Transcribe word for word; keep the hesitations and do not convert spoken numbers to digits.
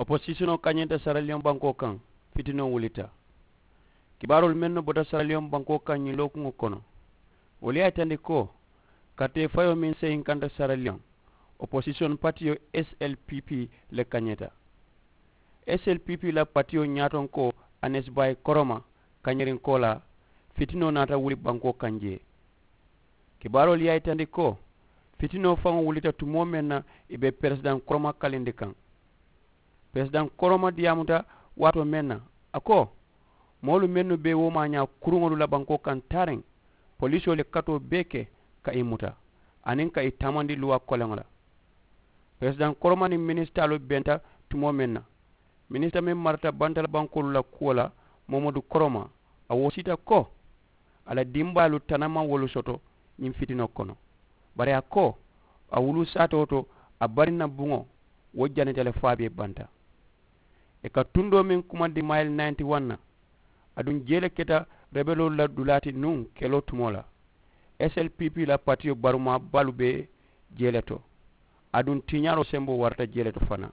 Oposisonoo kañeeta saraliyoŋ bankoo kaŋ. Fitinoo wulita. Kibaaroolu mennu bota saraliyoŋ bankoo kaŋ ñiŋ lookuŋo kono, wolu ye a yitandi ko karitee fayoo meŋ seyinkanta saraliyoŋ, oposisiyoŋ patiyo slpp le kañeeta. Slpp la patiyo ñaatonkoo anes bayi koroma kañerinkoo la. Fitinoo naata wuli bankoo kaŋ jee. Kibaaroolu ye a yitandi ko fitinoo faŋo wulita tumoo meŋ na, ì be peresidaŋ koroma kalindi kaŋ. Peresidaŋ koroma diyaamuta waatoo meŋ na, a ko moolu mennu be woomaañaa kuruŋolu la bankoo kaŋ taariŋ, poliisoo le katoo bee ke ka ì muta aniŋ ka ì taamandi luwaa koleŋo la. Peresidaŋ koroma niŋ minisitaaloo benta tumoo meŋ na, minisita meŋ marata bantala bankoolu la kuwo la, momodu koroma, a woosita ko a la dimbaalu tanama wolu soto ñiŋ fitinoo kono. Bari a ko a wuluu saatoo to, a bariŋ na buŋo wo janita le fo a be banta. Ì ka tundoo meŋ kumandi mayili nayinti waŋ na, aduŋ jee le keta rebeloolu la dulaa ti nuŋ keloo tumoo la. Slpp la patiyo barumaa baalu be jee le to, aduŋ tiiñaaroo semboo warata jee le to fanaa.